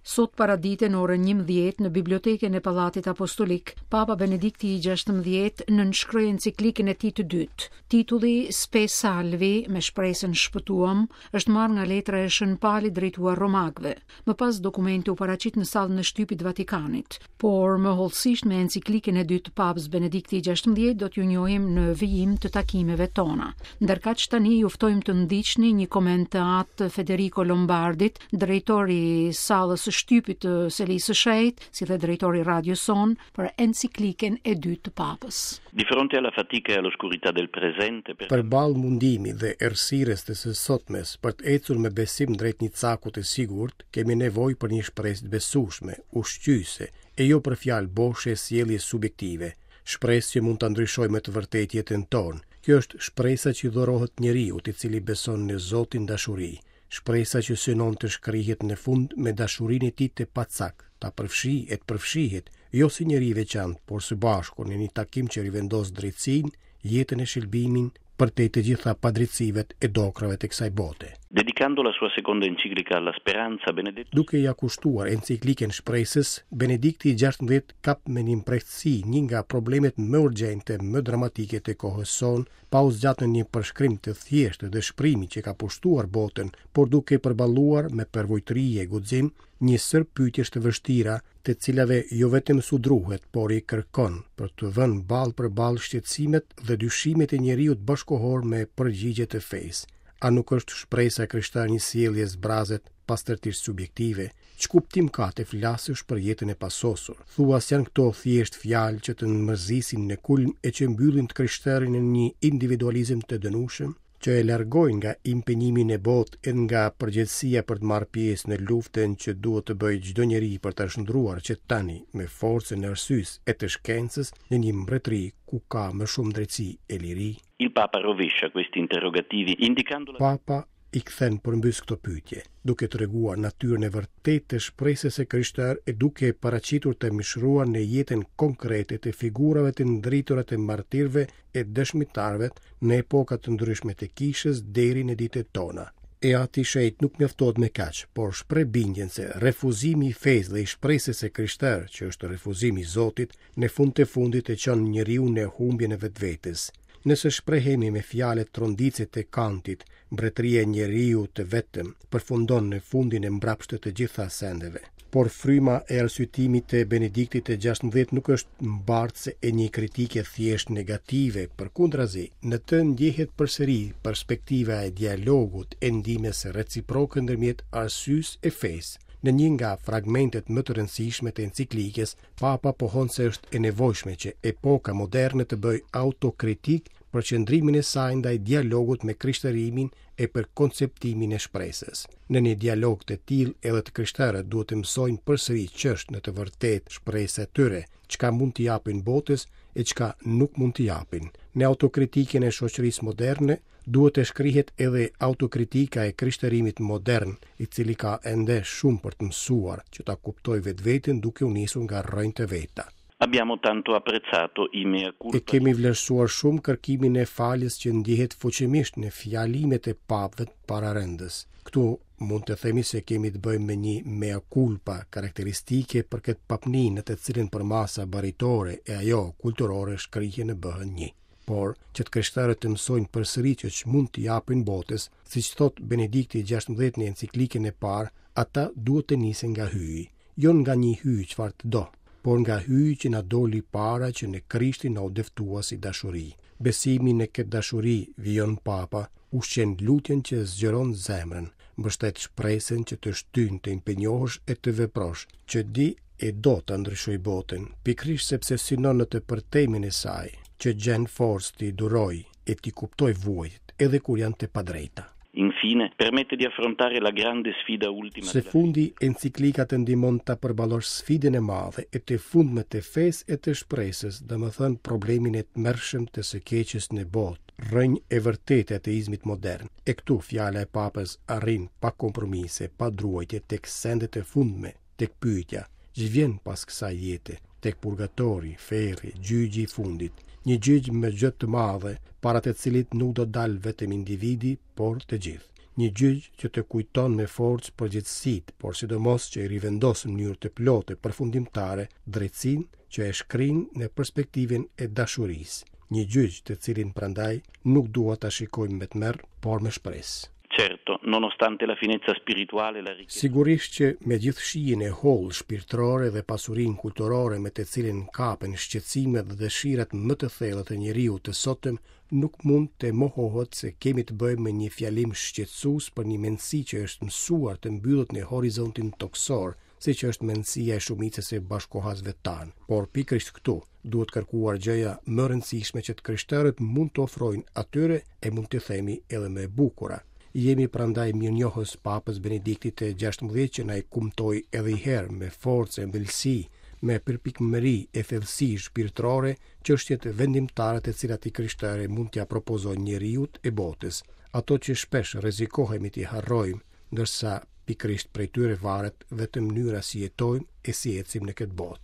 Sot paradite në orën 11 në bibliotekën e Pallatit Apostolik, Papa Benedikti i 16 nënshkroi enciklikën e tij të dytë. Titulli Spe Salvi, me shpresën shpëtuam, është marrë nga letra e Shën Palit drejtuar Romakëve. Më pas dokumenti u paraqit në sallën e shtypit të Vatikanit. Por më hollësisht me enciklikën e dytë të Papës Benedikti i 16 do t'ju njohim në vijim të takimeve tona. Ndërkaq tani ju ftojmë të ndiqni një koment të Atë Federico Lombardit, drejtor i sallës së shtypit të Selisë së Shenjtë, si dhe drejtor i radios sonë për enciklikën e dytë të Papës. Di fronte alla fatica e all'oscurità del presente per Përballë mundimit dhe errësirës të së sotmes, për të ecur me besim drejt një caku të sigurt, kemi nevojë për një shpresë të besueshme, ushqyese, e jo për fjalë boshe e sjellje subjektive. Shpresë që mund ta ndryshojë me të vërtetë jetën tonë. Kjo është shpresa që i dhurohet njeriut i cili beson në Zotin dashuri. Shpresa që synon të shkrihet në fund me dashurinë e tij të pacak, ta përfshijë e të përfshihet, jo si njeri i veçantë, por së bashku në një takim që rivendos drejtësinë, jetën e shëlbimin përtej të gjitha padrejtësive e dokrrave të kësaj bote. Dedicando la sua seconda enciclica alla speranza, Benedetto. Duke ia kushtuar enciklikën shpresës, Benedikti i 16 kap me një mprehtësi një nga problemet më urgjente, më dramatike të kohës sonë, pa u zgjatur në një përshkrim të thjeshtë të dëshpërimit që ka pushtuar botën, por duke përballuar me përvujtëri e guxim një sërë pyetjesh të vështira, të cilave jo vetëm s'u druhet, por i kërkon për të vënë ballë për ballë shqetësimet dhe dyshimet e njeriut bashkëkohor me përgjigje të fesë. A nuk është shpresa e krishterë një sjellje e zbrazët pastërtisht subjektive? Ç'kuptim ka të flasësh për jetën e pasosur? Thua s'janë këto thjesht fjalë që të mërzisin në kulm e që mbyllin të krishterin në një individualizëm të dënueshëm? që e largojnë nga impenjimi në botë e nga përgjegjësia për të marrë pjesë në luftën që duhet të bëjë çdo njeri për ta shndërruar që tani me forcën e arsyes e të shkencës në një mbretëri ku ka më shumë drejtësi e liri. Il Papa rovescia questi interrogativi indicando la. Papa i kthen përmbys këto pyetje, duke treguar natyrën e vërtetë të shpresës së krishterë e duke e paraqitur të mishëruar në jetën konkrete të figurave të ndritura të martirëve e dëshmitarëve në epoka të ndryshme të kishës deri në ditët tona. E Ati i Shenjtë nuk mjaftohet me kaq, por shpreh bindjen se refuzimi i fesë dhe i shpresës së krishterë, që është refuzimi i Zotit, në fund të fundit e çon njeriun në humbjen e vetvetes. Nëse shprehemi me fjalët tronditëse të Kantit, mbretëria e njeriut të vetëm përfundon në fundin e mbrapshtë të të gjitha sendeve. Por fryma e arsyetimit të Benediktit të 16 nuk është mbartëse e një kritike thjesht negative, përkundrazi, në të ndjehet përsëri perspektiva e dialogut e ndihmës reciproke ndërmjet arsyes e fesë. Në një nga fragmentet më të rëndësishme të enciklikës, Papa pohon se është e nevojshme që epoka moderne të bëjë autokritikë për qëndrimin e saj ndaj dialogut me krishterimin e për konceptimin e shpresës. Në një dialog të tillë edhe të krishterët duhet të mësojnë përsëri ç'është në të vërtetë shpresa e tyre, çka mund t'i japin botës e çka nuk mund t'i japin. Në autokritikën e shoqërisë moderne duhet të shkrihet edhe autokritika e krishterimit modern, i cili ka ende shumë për të mësuar që ta kuptojë vetveten duke u nisur nga rrënjët e veta. Abbiamo tanto apprezzato i mea culpa. E kemi vlerësuar shumë kërkimin e faljes që ndjehet fuqimisht në fjalimet e papëve pararendës. Këtu mund të themi se kemi të bëjmë me një mea culpa karakteristike për këtë papni në të cilën përmasa baritore e ajo kulturore shkrihen e bëhen një. Por, që të krishterët të mësojnë përsëri që ç'mund t'i japin botës, siç thotë Benedikti i 16 në enciklikën e parë, ata duhet të nisen nga Hyji. Jo nga një hyj çfarë të do, por nga Hyji që na doli para që në Krishtin na u dëftua si dashuri. Besimi në këtë dashuri, vijon Papa, ushqen lutjen që zgjeron zemrën, mbështet shpresën që të shtyn të impenjohesh e të veprosh, që di e do ta ndryshojë botën, pikërisht sepse synon në të përtejmen e saj, që gjen forcë t'i durojë e t'i kuptojë vuajtjet, edhe kur janë të padrejta. Infine, permette di affrontare la grande sfida ultima Së fundi, enciklika të ndihmon ta përballosh sfidën e madhe e të fundme të fesë e të shpresës, domethënë problemin e tmerrshëm të së keqes në botë, rrënjë e vërtetë e ateizmit modern. E këtu fjala e Papës arrin pa kompromise, pa druajtje tek sendet e fundme, tek pyetja, ç'vjen pas kësaj jete, tek purgatori, ferri, gjyqi i fundit, një gjyq me G të madhe, para të cilit nuk do dalë vetëm individi, por të gjithë. Një gjyq që të kujton me forcë përgjegjësitë, por sidomos që i rivendos në mënyrë të plotë e përfundimtare drejtësinë që e shkrin në perspektivën e dashurisë. Një gjyq të cilin prandaj nuk duhet ta shikojmë me tmerr, por me shpresë. Certo, nonostante la finezza spirituale e la ricchezza. Sigurisht që me gjithë shijen e hollë shpirtërore dhe pasurinë kulturore me të cilën kapen shqetësimet dhe dëshirat më të thella të njeriut të sotëm, nuk mund të mohohet se kemi të bëjmë me një fjalim shqetësues për një mendësi që është mësuar të mbyllet në horizontin tokësor, siç është mendësia e shumicës së bashkëkohasve tanë. Por pikërisht këtu duhet kërkuar gjëja më e rëndësishme që të krishterët mund të ofrojnë atyre e mund të themi edhe më e bukura. Jemi prandaj mirënjohës Papës Benediktit të 16 që na e kumtoi edhe një herë me forcë e ëmbëlsi, me përpikmëri e thellësi shpirtërore çështjet vendimtare të cilat i krishteri mund t'ia propozojë njeriut e botës, ato që shpesh rrezikohemi t'i harrojmë, ndërsa pikërisht prej tyre varet vetëm mënyra si jetojmë e si ecim në këtë botë.